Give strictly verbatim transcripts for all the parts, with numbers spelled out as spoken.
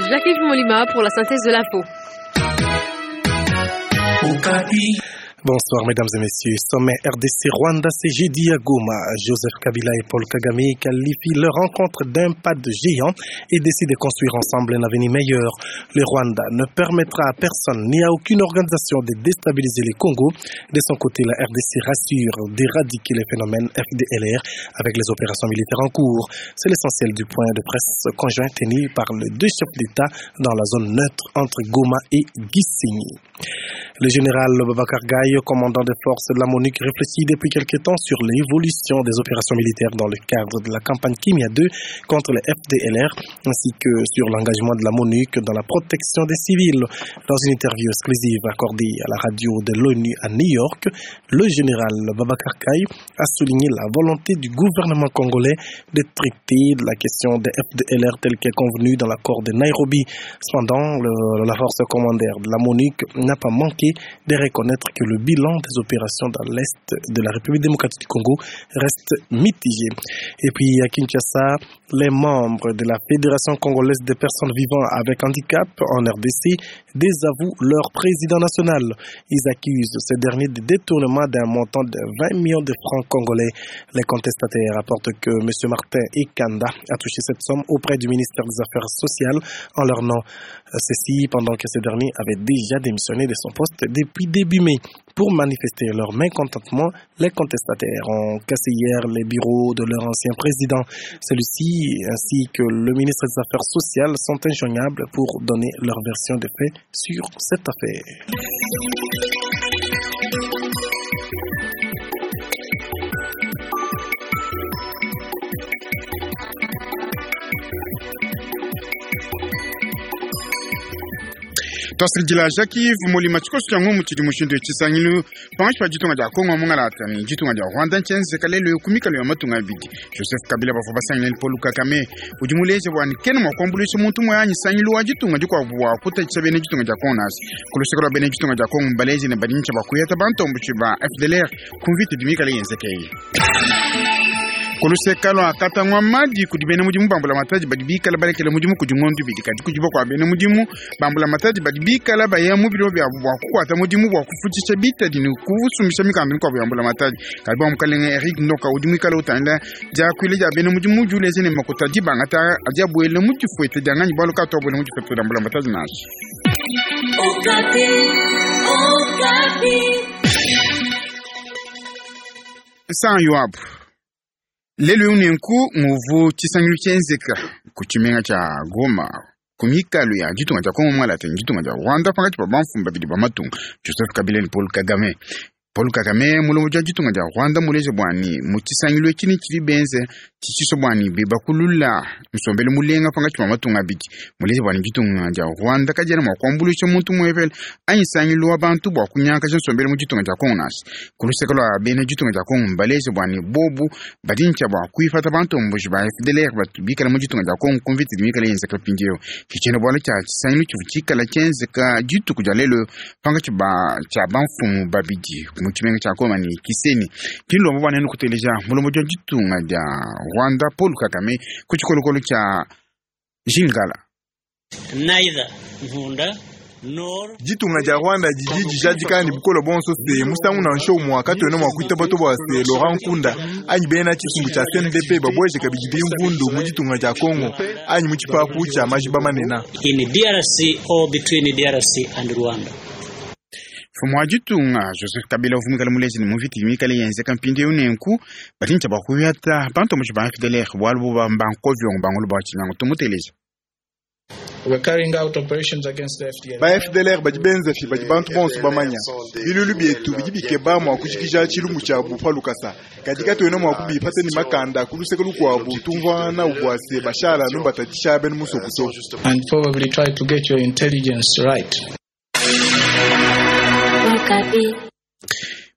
Jacques Molima pour la synthèse de l'info. Bonsoir mesdames et messieurs. Sommet R D C Rwanda, c'est jeudi à Goma. Joseph Kabila et Paul Kagame qualifient leur rencontre d'un pas de géant et décident de construire ensemble un avenir meilleur. Le Rwanda ne permettra à personne ni à aucune organisation de déstabiliser le Congo. De son côté, la R D C rassure d'éradiquer les phénomènes F D L R avec les opérations militaires en cours. C'est l'essentiel du point de presse conjoint tenu par les deux chefs d'État dans la zone neutre entre Goma et Gisenyi. Le général Babacar Gaye, commandant des forces de la MONUC, réfléchit depuis quelque temps sur l'évolution des opérations militaires dans le cadre de la campagne Kimia deux contre les F D L R, ainsi que sur l'engagement de la MONUC dans la protection des civils. Dans une interview exclusive accordée à la radio de l'ONU à New York, le général Babacar Gaye a souligné la volonté du gouvernement congolais de traiter de la question des F D L R telle qu'elle est convenue dans l'accord de Nairobi. Cependant, le, la force commandaire de la MONUC n'a pas manqué de reconnaître que le bilan des opérations dans l'Est de la République démocratique du Congo reste mitigé. Et puis à Kinshasa, les membres de la Fédération congolaise des personnes vivant avec handicap en R D C désavouent leur président national. Ils accusent ce dernier de détournement d'un montant de vingt millions de francs congolais. Les contestataires rapportent que M. Martin Ekanda a touché cette somme auprès du ministère des Affaires sociales en leur nom. Ceci pendant que ce dernier avait déjà démissionné de son poste depuis début mai. Pour manifester leur mécontentement, les contestataires ont cassé hier les bureaux de leur ancien président. Celui-ci ainsi que le ministre des Affaires sociales sont injoignables pour donner leur version des faits sur cette affaire. Twasirijila Jacques Molima tshikoso tshia ngumu tshidi mushindu tshisangilu pangashi pa ditunga dia Kongo mungalata ni ditunga dia Rwanda ntshienzeka lelo kumikalo ya matunga abidi. Joseph Kabila bavua basangile ni Paul Kagame udi muleje bua kena mua kuambuluisha muntu umue anyi sangilu wa ditunga dikuabu bua kutatshisha bena ditunga dia Kongo nasi. Ku luseke lua bena ditunga dia Kongo mbaleje ne badi ntshia bakuyata bantomboshi ba F D L R ku mvita idi mikale yenzekeye. Kuluseka lwa katangwa madi kudi bena mudimu bambula matadi badi bikala balekela mudimu kudi ngondu bidi kadi kudi bakwa bena mudimu bambula matadi badi bikala baya mu biro bya bwa kukwata mudimu bwa kufutisha bitadi ni kusumisha mikambi mikwabu ya mbula matadi kadi bwa mukalenge Eric Ndoka udi mwikala utanda diakuile dia bena mudimu juleze ne makuta dibangata adi abuele mu difuete dianganyi bwalu katu abuele mu difuete dia mbula matadi nansha. Okapi, Okapi. San Yoabu. Lelo unenku muvu tshisangilu tshienzeka ku tshimenga tshia Goma ku mikalo ya ditunga dia Kongo mwalata ni ditunga dia Rwanda pakati pa bamfumu babidi ba matunga Joseph Kabila ni Paul Kagame. Paul Kagame mulomo dia ditunga dia Rwanda muleje bwani mu tshisangilu etshi ni tshidi benze tshitshiso bwani bibakulula nsombelu mulenga pakati pa matunga abidi muleje bwani ditunga dia Rwanda kadiena mua kuambuluisha muntu muepele anyi sangilu wa bantu bua kunyakaja nsombelu mu ditunga dia Kongo nasi. Ku luseke lua bena ditunga dia Kongo mbaleje bwani bobu badi ntshia bua kuipata bantomboji ba F D L R batu bikala mu ditunga dia Kongo ku mvita idi mikale yenzeka mpindieu. Ke tshiena bualu tshia tshisangilu tshivua tshikala tshienzeka dituku dia lelo pankatshi ba tshia bamfumu babidi mu tshimenga tshia Goma ni Gisenyi. Kilombo bwana nenu kuteleja mulomo dia ditunga dia Rwanda Paul Kagame ku tshikolokolo tshia Jingala. Neither Nkunda nor Ditunga dia Rwanda didi dijadika ne bukole bonso se musangu nansha umue katuena mua kuitaba to bua se Laurent Nkunda anyi bena tshisumbu tshia C N D P babueje kabidi bimvundu mu ditunga dia Congo anyi mu tshipapu tshia majiba manene. In D R C or between D R C and Rwanda. Mfumu wa ditunga Joseph Kabila uvumikala muleje ne muviti mikale yenzeka mpindieu nenku badi ntshia bua kuyata bantomboshi ba F D L R bualu bu bankovyongo bangolo bua tshinyangu tumuteleja. We're carrying out operations against the F D L R. Ba F D L R badi benza fi badi bantu bonso bamanya. Bilulu bietu bidi bikeba mua kujikija tshilumbu tshiabu pa lukasa. Kadi katuena mua kubipata ni makanda ku luseke lukuabu tumvua na ubwase bashala numbatadisha bena musokuto. And probably try to get your intelligence right.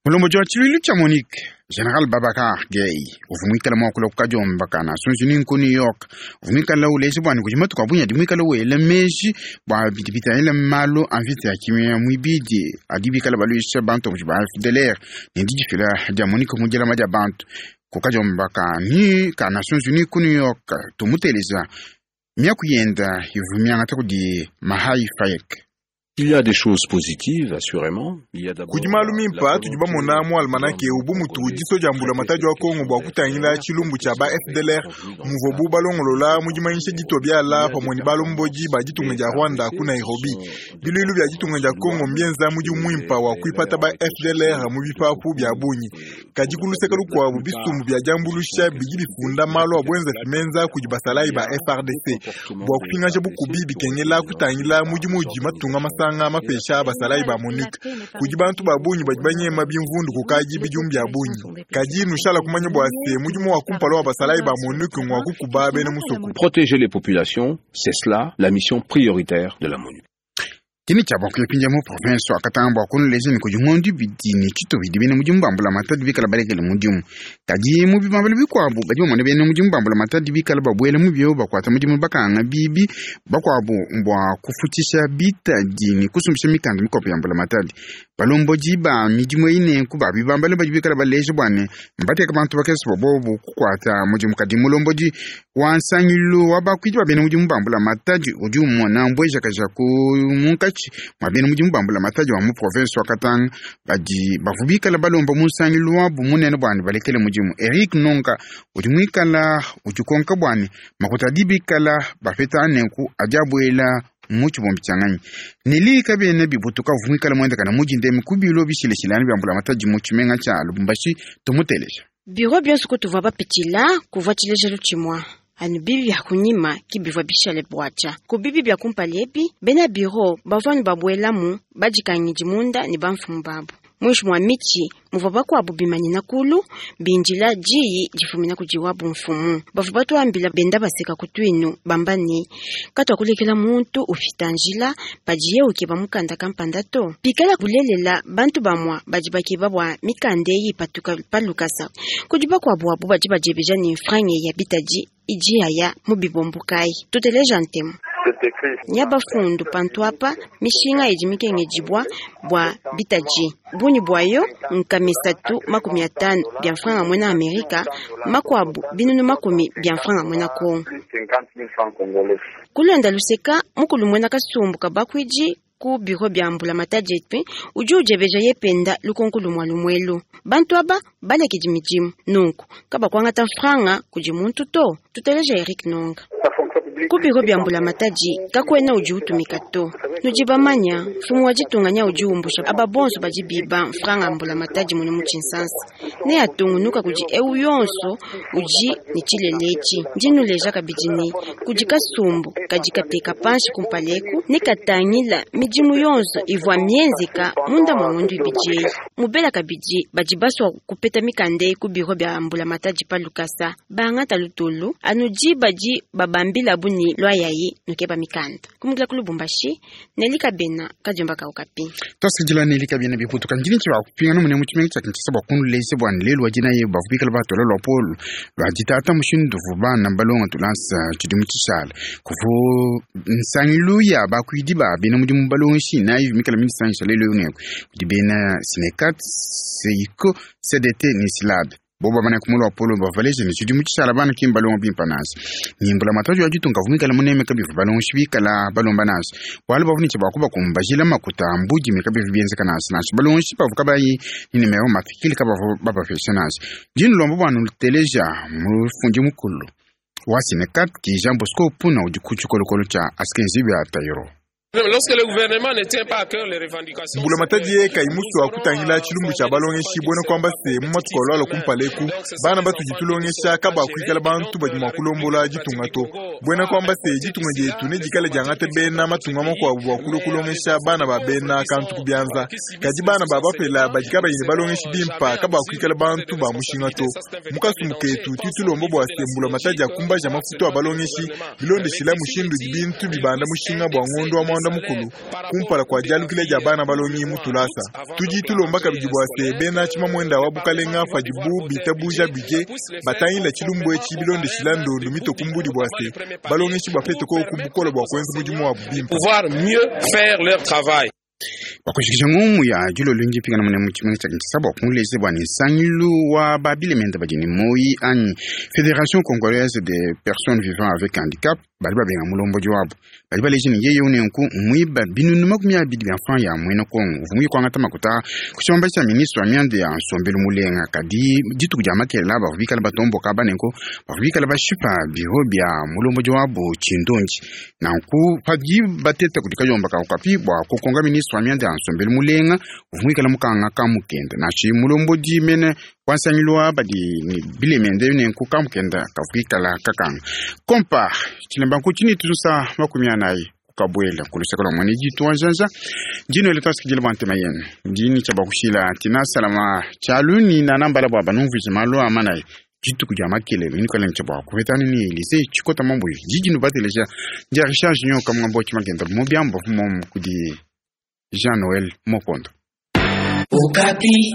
Mulombo wa tshiluilu tshia Monique General Babacar Gaye uvumwikala mwakula kukadiomba kana sunzu ni ku New York uvumwikala uleje bwani kudi matuku abunya dimwikala wela meji bwa bidi bitangila malu a mvita ya kimia mwibidi adi bikala baluisha bantu ba F D L R ne didifila dia Monique mu dilama dia bantu. Kukajomba ka ni ka Nations Unies ku New York tumuteleza miaku yenda ivumianga kudi Mahai Fayek. Il y a des choses positives, assurément. Il y a d'abord Kudi malu mimpa tudi bamona mu almanake ubu mutu diso dia mbula matadi wa Kongo bua kutangila tshilumbu tshia ba F D L R muvobu balongolola mu dimanyisha ditua biala pamue ne balomboji ba ditunga dia Rwanda ku Nairobi. Biluilu bia ditunga dia Kongo mbienza mudimu muimpa wa kuipata ba F D L R mu bipapu bia bungi. Kadi kuluseka lukuabu bisumbu bia diambulusha bidi bifunda malu a buenza fimenza kudi basalayi ba F R D C. Bua kupingaja bukubi bikengela kutangila mudimu udi matunga masanga mapesha basalayi ba MONUC. Kudi bantu ba bungi badi banyema bimvundu kukaji bidimu bia bungi. Kadi nushala kumanya bua se mudimu wa kumpala wa basalayi ba MONUC ngwa kukuba bena musoko. Protéger les populations, c'est cela la mission prioritaire de la MONUC. Kini cha bwa kuyapinja mu province wa Katanga bwa kunuleza ni kujingondi bidini chito bidi bene mudimu bambula matadi bikala balekele mudimu. Kadi mu bibambala bikwabu badi bamona bene mudimu bambula matadi bikala babwele mu byo bakwata mudimu bakanga bibi bakwabu mbwa kufutisha bitadi ni kusumbisha mikanda mikopo ya mbula matadi. Balomboji ba midimu ine kuba bibambala badi bikala baleje bwane mbateka bantu bakesi bobobu kukwata mudimu kadi mulomboji wa nsangilu wa bakwidi ba bene mudimu bambula matadi udi umona mbweja kaja ku munkachi mwabene mudimu bambula matadi wa mu province wa Katanga badi bavubikala balomba munsangilu wabu munene bwane balekele mudimu. Eric Nonga udi mwikala udikonka bwane makuta adibikala bapeta anenku adiabwela muchibombi changanyi nili kabene bibutuka vumikala mwenda kana mujinde mikubilo bishileshilani byambula matadi mu tshimenga tsha Lubumbashi tumutelesha biro byonso kutuvua bapitila kuvua tshilejelu tshimua anu bibi bya kunyima kibivua bishale bwacha ku bibi bya kumpala ebi bena biro bavua nu babuelamu badikangidi munda ne bamfumu babu mwishi mwa michi muvua bakuabu bimanyina kulu bindila diyi difumina kudiwabu mfumu bavua batuambila benda baseka kutuinu bamba ne katuakulekela muntu upita njila padiye ukeba mukanda kampanda to pikala kulelela bantu bamua badi bakeba bua mikanda eyi patuka palukasa kudi bakuabu abu badi badiebeja ne mfrange ya bitadi idi yaya mu bibombo kayi tuteleja ntemu nya bafundu pantu apa mishinga idi mikengedibwa bua bitaji bunyi bwayo nkamisatu makumi atano bya mfranga mwena Amerika makwabu binunu makumi bya mfranga mwena Kongo kulonda luseka mukulu mwena kasumbu kabakwiji ku biro bya mbula matadi etwe udi ujebeja yependa lukonko lumwa lumwelu bantu aba balekedi midimu nunku kabakwangata mfranga kudi muntu to tuteleja Eric Nonga ku biro bya mbula matadi kakwena udi utumika to nudi bamanya mfumu wa ditunganya udi umbusha aba bonso badi biba mfranga mbula matadi munu mu tshinsansa ne atungunuka kudi eu yonso udi ne tshilelechi ndinuleja kabidi ne kudi kasumbu kadi kateka panshi kumpaleku ne katangila midimu yonso ivua mienzeka munda mwa ngondu ibidi eyi mubela kabidi badi basua kupeta mikanda eyi ku biro bya mbula matadi pa lukasa bangata lutulu anu badi babambila buni lwa yayi nukeba mikanda kumukila ku Lubumbashi Neli Kabena kadiomba ka Okapi tosikidila Neli Kabena biputuka ndini tshi bakupingana mune mu tshimenga tshia Kinshasa bua kunulese bua lelu wa dina ye bavubikala batola lua polo lua ditata mushindu bana balonga tulansa tshidimu tshishala kuvu nsangilu ya bakuidi ba bena mudimu balongeshi nayi mikala midisangisha lelu ewu kudi bena Sinekat Seiko C D T ni Silab boba bana kumulu wa polo bavaleje ni tshidimu tshishala bana kimba balonga bimpa nasi nimbula matajo ya ditunga vumikala muneme kabivu balongeshi bikala balomba nasi bwalu bavuniche bakuba kumbajila makuta mbudi mikabivu bienzeka nasi nasi balongeshi bavuka bayi ninemero mafikili kabavu babapesha nasi dinu lombo bwanu luteleja mufundi mukulu wa Sinekat ki Jean Bosco Puna udi ku tshikolokolo tshia asikenzi bya Tayiro. Lorsque le gouvernement ne tient pas à cœur les revendications, mbula matadi ye kaimusu akutangila tshilumbu tshia balongeshi bwena kwamba se mu matuku alwala kumpaleku bana batudi tulongesha kaba kuikala bantu badi mua kulombola ditunga to bwena kwamba se ditunga dietu ne dikala diangate bena matunga makuabu bua kulua kulongesha bana ba bena kantu ku bianza kadi bana ba bapela badi kabayi ne balongeshi bimpa kaba kuikala bantu ba mushinga to mukasumbu ketu tutulombo bua se mbula matadi akumbaja mafutu a balongeshi bilondeshila mushindu di bintu bibanda mushinga bua ngondo wa mwanda mukulu kumpala kwa dialukile dia bana balongi mutulasa tudi tulomba kabidi bua se bena tshimamwenda wa bukalenga padibu bitabuja budget batangila tshilumbu etshi bilondeshila ndondu mitokumbudi bua se balongeshi bapete ko ku bukole bua kuenza mudimu wabu bimpe pouvoir mieux faire leur travail. Bakushikisha ngumu ya dilolo ndi pingana mune mu tshimenga tshia Kinshasa bua kumuleze bua ne nsangilu wa babilemende badi ne moyi anyi Fédération congolaise des personnes vivant avec handicap badi babenga mulombodi wabu badi baleja ne yeye unenku mwiba binunu makumi abidi bia mfran ya mwena Kongo uvua muyikwangata makuta ku tshibamba tshia ministre wa mianda ya nsombelu mulenga. Kadi dituku dia makelela bavua bikala batomboka banenku bavua bikala bashipa biro bia mulombodi wabu tshindondi. Nanku padi bateta kudi kayomba ka Okapi bua kukonga ministre wa mianda ya nsombelu mulenga uvua muikala mukanga kamukenda nashi mulombodi mene wansangilu wa badi ni bilemende nenku kamukenda kavuikala kakanga kompa tshilemba nku tshini tuzusa makumi anayi kukabwela kuluseka lwa mwene jitu wa janja njino ile tasikijila bwa ntema yenu ndini tsha bakushila tina salama tshaluni na nambala bwa banumvije malu amanayi dituku dia makelelo inikala ntsha bua kupetana ni Elise tshikota mambo jiji nubateleja ndia Richard Junior kamwambo tshimakenda mu biambo momu kudi Jean Noël Mokondo. Okapi.